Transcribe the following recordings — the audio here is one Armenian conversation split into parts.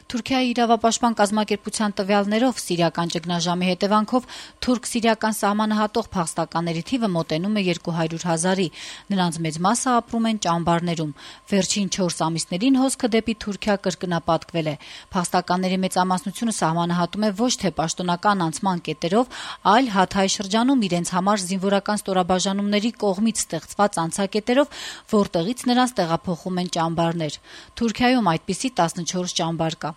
Թուրքիայի իրավապաշտպան կազմակերպության տվյալներով սիրիական ճգնաժամի հետևանքով թուրք-սիրիական սահմանը հատող փախստականների թիվը մոտենում է 200,000-ի, նրանց մեծ մասը ապրում են ճամբարներում։ Վերջին 4 ամիսներին հոսքը դեպի Թուրքիա կրկնապատկվել է։ Փախստականների մեծամասնությունը սահմանը հատում է ոչ թե պաշտոնական անցման կետերով, այլ Հաթայ շրջանում իրենց համար զինվորական ստորաբաժանումների կողմից ստեղծված անցակետերով, որտեղից նրանց տեղափոխում են ճամբարներ։ Թուրքիայում այդպիսի 14 ճամբար կա։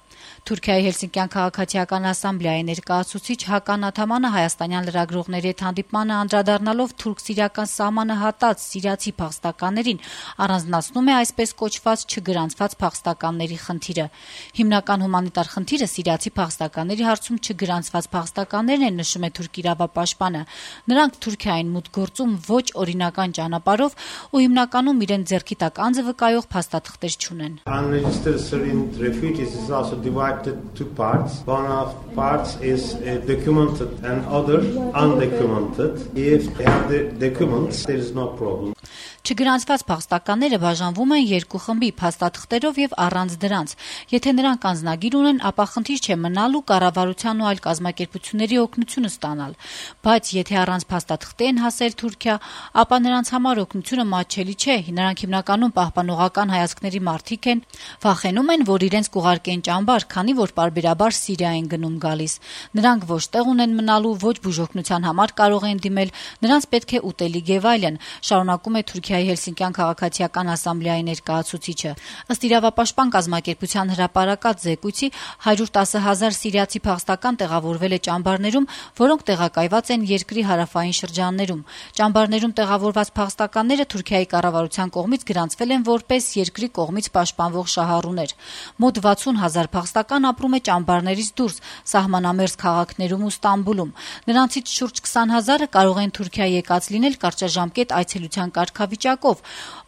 Թուրքիայի Հելսինկյան քաղաքացիական ասամբլեայի ներկայացուցիչ Հական Աթամանը հայաստանյան լրագրողների հետ հանդիպմանը անդրադառնալով թուրք-սիրիական սահմանը հատած սիրիացի փախստականներին առանձնացնում է այսպես կոչված չգրանցված փախստականների խնդիրը։ Հիմնական հումանիտար խնդիրը սիրիացի փախստականների հարցում չգրանցված փախստականներն են, նշում է թուրք իրավապաշտպանը։ Նրանք Թուրքիային մուտք գործում ոչ օրինական ճանապարհով ու հիմնականում իրենց ձեռքի տակ անձը վկայող փաստաթղթեր չունեն։ Divided two parts. One of parts is documented and other undocumented. If they have the documents, there is no problem. Չգրանցված փախստականները բաժանվում են երկու խմբի՝ փաստաթղթերով եւ առանց դրանց։ Եթե նրանք անձնագիր ունեն, ապա խնդիր չէ մնալու կառավարության ու այլ կազմակերպությունների օգնությունը ստանալ։ Բայց եթե առանց փաստաթղթի են հասել Թուրքիա, ապա նրանց համար օգնությունը մատչելի չէ։ Նրանք հիմնականում պահպանողական հայացքների մարդիկ են, վախենում են, որ իրենց կուղարկեն ճամբար, քանի որ պարբերաբար Սիրիա են գնում գալիս։ Նրանք ոչ տեղ ունեն մնալու, ոչ բուժօգնության համար կարող են դիմել, նրանց պետք է ուտելիք եւ այլն, շարունակում է Թուրքիայի Հելսինկյան քաղաքացիական ասամբլեայի ներկայացուցիչը։ Ըստ իրավապաշտպան կազմակերպության հրապարակած զեկույցի 110,000 սիրիացի փախստական տեղավորվել է ճամբարներում, որոնք տեղակայված են երկրի հարավային շրջաններում։ Ճամբարներում տեղավորված փախստականները Թուրքիայի կառավարության կողմից գրանցվել են որպես երկրի կողմից պաշտպանվող շահառուներ։ Մոտ 60,000 փախստական ապրում է ճամբարներից դուրս, սահմանամերձ քաղաքներում ու Ստամբուլում։ Նրանցից շուրջ 20,000-ը կարող են Թուրքիա եկած լինել կարճաժամկետ այցելության կարգավիճակով,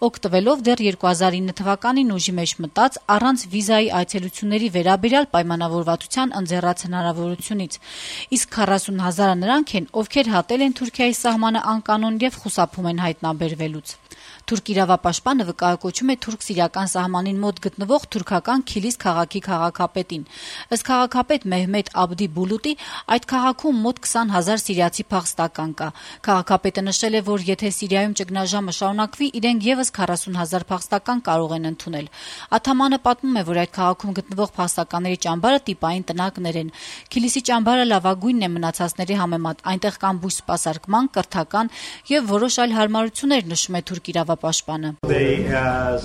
օգտվելով դեռ 2009 թվականին ուժի մեջ մտած առանց վիզայի այցելությունների վերաբերյալ պայմանավորվածության ընձեռած հնարավորությունից։ Իսկ 40,000-ը նրանք են, ովքեր հատել են Թուրքիայի սահմանը անկանոն եւ խուսափում են հայտնաբերվելուց։ Թուրք իրավապաշտպանը վկայակոչում է թուրք-սիրիական սահմանին մոտ գտնվող թուրքական Քիլիս քաղաքի քաղաքապետին։ Ըստ քաղաքապետ Մեհմեդ Աբդի Բուլուտի, այդ քաղաքում մոտ 20,000 սիրիացի փախստական կա։ Քաղաքապետը նշել է, որ եթե Սիրիայում ճգնաժամը շարունակվի, իրենք եւս 40,000 փախստական կարող են ընդունել։ Աթամանը պատմում է, որ այդ քաղաքում գտնվող փախստականների ճամբարը տիպային տնակներ են։ Քիլիսի ճամբարը լավագույնն է մնացածների համեմատ։ Այնտեղ կան բույս սպասարկման, կրթական եւ որոշ այլ հարմարություններ, նշում է թուրք իրավապաշտպանը։ They have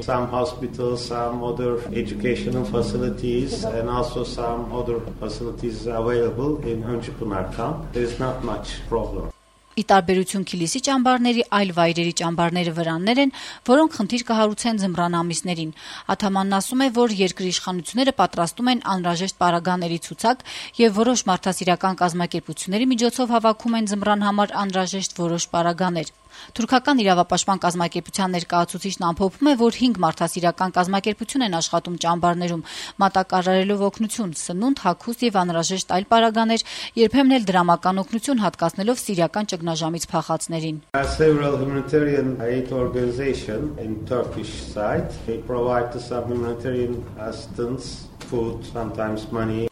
some hospitals, some other educational facilities and also some other facilities available in Önçpınar camp. There is not much problem. Ի տարբերություն Քիլիսի ճամբարների, այլ վայրերի ճամբարները վրաններ են, որոնք խնդիր կհարուցեն ձմռան ամիսներին։ Աթամանն ասում է, որ երկրի իշխանությունները պատրաստում են անհրաժեշտ պարագաների ցուցակ եւ որոշ մարդասիրական կազմակերպությունների միջոցով հավաքում են ձմռան համար անհրաժեշտ որոշ պարագաներ։ Թուրքական իրավապաշտպան կազմակերպության ներկայացուցիչն ամփոփում է, որ 5 մարդասիրական կազմակերպություն են աշխատում ճամբարներում, մատակարարելով օգնություն, սնունդ, հագուստ եւ անհրաժեշտ այլ պարագաներ, երբեմն էլ դրամական օգնություն հատկացնելով սիրիական ճգնաժամից փախածներին։ Several humanitarian aid organizations in Turkish side, they provide some humanitarian assistance, food, sometimes money.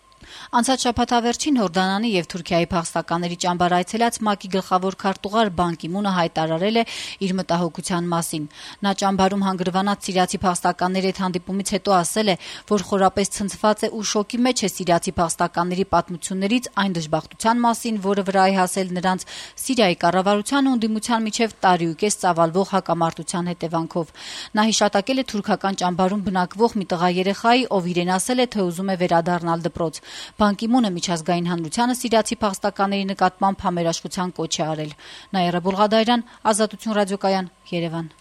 Անցած շաբաթավերջին Հորդանանի եւ Թուրքիայի փախստականների ճամբար այցելած ՄԱԿ-ի գլխավոր քարտուղար Բան Կի Մունը հայտարարել է իր մտահոգության մասին։ Նա ճամբարում հանգրվանած սիրիացի փախստականների հետ հանդիպումից հետո ասել է, որ խորապես ցնցված է ու շոկի մեջ է սիրիացի փախստականների պատմություններից, այն դժբախտության մասին, որը վրա է հասել նրանց Սիրիայի կառավարության ու ընդդիմության միջև տարիուկես ծավալվող հակամարտության հետևանքով։ Նա հիշատակել է թուրքական ճամբարում բնակվող մի տղա երեխայի, ով իրեն ասել է, թե ուզում է վերադառնալ դպրոց։ Բան Կի Մունը միջազգային հանրությանը սիրիացի փախստականների նկատմամբ համերաշխության կոչ է արել։ Նաիրա Բուլղադարյան, Ազատություն ռադիոկայան, Երևան։